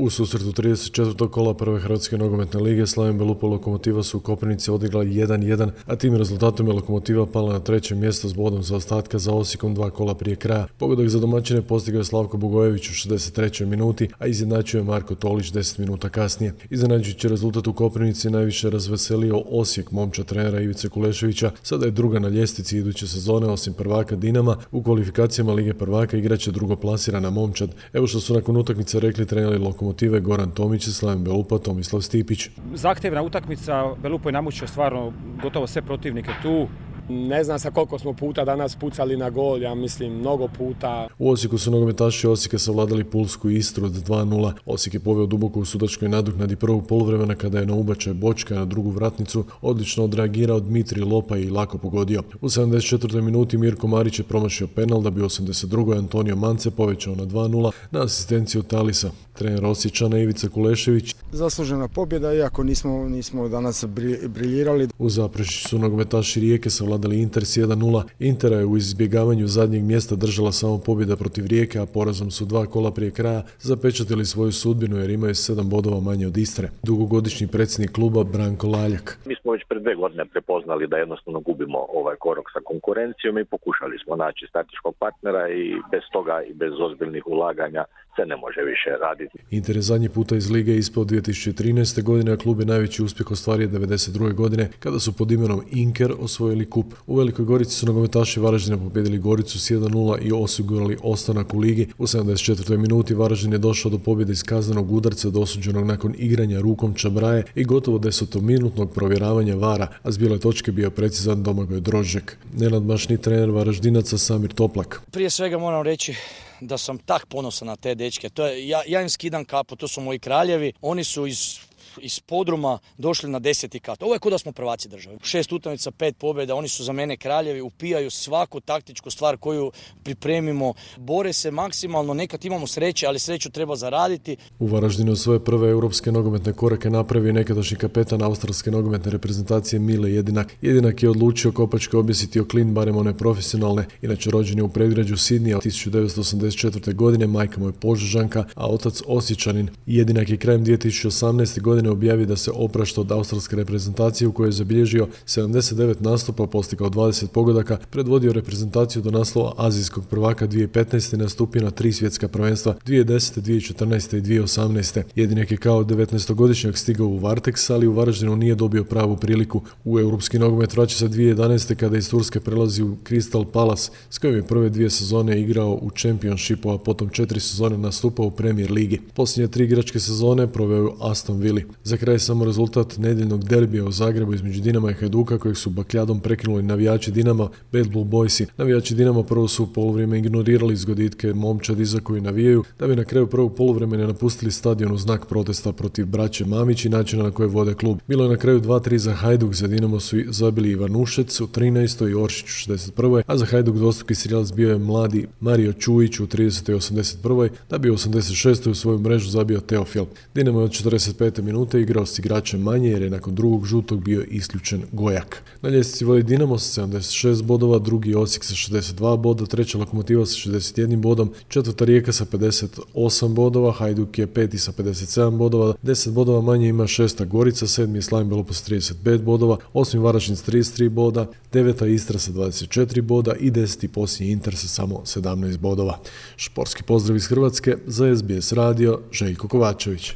U susretu 34. kola prve Hrvatske nogometne lige Slaven Belupo i Lokomotiva su u Koprivnici odigla 1-1, a tim rezultatom je Lokomotiva pala na treće mjesto s bodom zaostatka za Osijekom 2 kola prije kraja. Pogodak za domaćine postigao je Slavko Bugojević u 63. minuti, a izjednačio je Marko Tolić 10 minuta kasnije. Iznenađujući rezultat u Koprivnici najviše razveselio Osijek, momčad trenera Ivice Kuleševića. Sada je druga na ljestvici iduće sezone, osim prvaka Dinama. U kvalifikacijama Lige prvaka igraće drugoplasirana momčad. Evo što su nakon utakmice rekli treneri Lokomotive Goran Tomić i Slaven Belupo Tomislav Stipić. Zahtjevna utakmica, Belupo je namučio stvarno gotovo sve protivnike tu. Ne znam sa koliko smo puta danas pucali na gol, ja mislim mnogo puta. U Osijeku su nogometaši Osijeka savladali pulsku Istru od 2-0. Osijek je poveo duboko u sudačkoj nadoknadi prvog poluvremena kada je na ubačaj Bočka na drugu vratnicu odlično odreagirao Dmitrij Lopa i lako pogodio. U 74. minuti Mirko Marić je promašio penal da bi u 82. Antonio Mance povećao na 2-0 na asistenciju Talisa. Trener Osječana Ivica Kulešević. Zaslužena pobjeda, iako nismo danas briljirali. U Zaprešiću su nogometaši Rijeke savladali Inter s 1-0. Intera je u izbjegavanju zadnjeg mjesta držala samo pobjeda protiv Rijeke, a porazom su 2 kola prije kraja zapečatili svoju sudbinu jer imaju 7 bodova manje od Istre. Dugogodišnji predsjednik kluba Branko Laljak. Mi smo već pred 2 godine prepoznali da jednostavno gubimo ovaj korak sa konkurencijom i pokušali smo naći strateškog partnera i bez toga i bez ozbiljnih ulaganja se ne može više raditi. Inter je zadnji puta iz lige ispao 2013. godine, a klub je najveći uspjeh ostvario 1992. godine kada su pod imenom Inker osvojili kup. U Velikoj Gorici su nogometaši Varaždina pobijedili Goricu s 1-0 i osigurali ostanak u ligi. U 74. minuti Varaždin je došao do pobjede iz kaznenog udarca dosuđenog nakon igranja rukom Čabraje i gotovo 10-minutnog provjeravanja VAR-a, a s bijele točke bio precizan Domagoj Drožđek. Nenadmašni trener Varaždinaca Samir Toplak. Prije svega moram reći da sam tak ponosan na te dečke. Ja im skidam kapu, to su moji kraljevi. Oni su iz podruma došli na 10. kat. Ovo je kao da smo prvaci države. 6 utakmica, 5 pobjeda, oni su za mene kraljevi, upijaju svaku taktičku stvar koju pripremimo. Bore se maksimalno, nekad imamo sreće, ali sreću treba zaraditi. U Varaždinu svoje prve europske nogometne korake napravio nekadašnji kapetan australske nogometne reprezentacije Mile Jedinak. Jedinak je odlučio kopačke objesiti o klin, barem one profesionalne. Inače rođen je u predgrađu Sidnija 1984. godine, majka mu je Požežanka, a otac Osječanin. Jedinak je krajem 2018. godine objavio da se oprašta od australske reprezentacije u kojoj je zabilježio 79 nastupa, postigao 20 pogodaka, predvodio reprezentaciju do naslova azijskog prvaka 2015. i nastupio na 3 svjetska prvenstva 2010., 2014. i 2018. Jedinak je kao 19-godišnjak stigao u Varteks, ali u Varaždinu nije dobio pravu priliku. U europski nogomet vraća se 2011. kada iz Turske prelazi u Crystal Palace, s kojim je prve 2 sezone igrao u Championshipu, a potom 4 sezone nastupao u Premier ligi. Posljednje 3 igračke sezone proveo u Aston Villa. Za kraj samo rezultat nedjeljnog derbija u Zagrebu između Dinama i Hajduka kojeg su bakljadom prekinuli navijači Dinama, Bad Blue Boysi. Navijači Dinama prvo su u poluvrijeme ignorirali zgoditke momčadi za koju navijaju, da bi na kraju prvog poluvremena napustili stadion u znak protesta protiv braće Mamić i načina na koje vode klub. Bilo je na kraju 2-3 za Hajduk, za Dinamo su zabili Ivanušec u 13. i Oršić u 61. a za Hajduk dvostruki strijelac bio je mladi Mario Čujić u 30. i 81. da bi u 86. u svoju mrežu zabio Teofil. Dinamo je od 45. minute igrao s igračem manje jer je nakon drugog žutog bio isključen Gojak. Na ljestvici vodi Dinamo sa 76 bodova, drugi Osijek sa 62 boda, treća Lokomotiva sa 61 bodom, četvrta Rijeka sa 58 bodova, Hajduk je peti sa 57 bodova, 10 bodova manje ima šesta Gorica, 7. je Slaven Belupo s 35 bodova, 8. Varaždin s 33 boda, 9. Istra sa 24 boda i 10. posljednji Inter sa samo 17 bodova. Športski pozdrav iz Hrvatske za SBS radio, Željko Kovačević.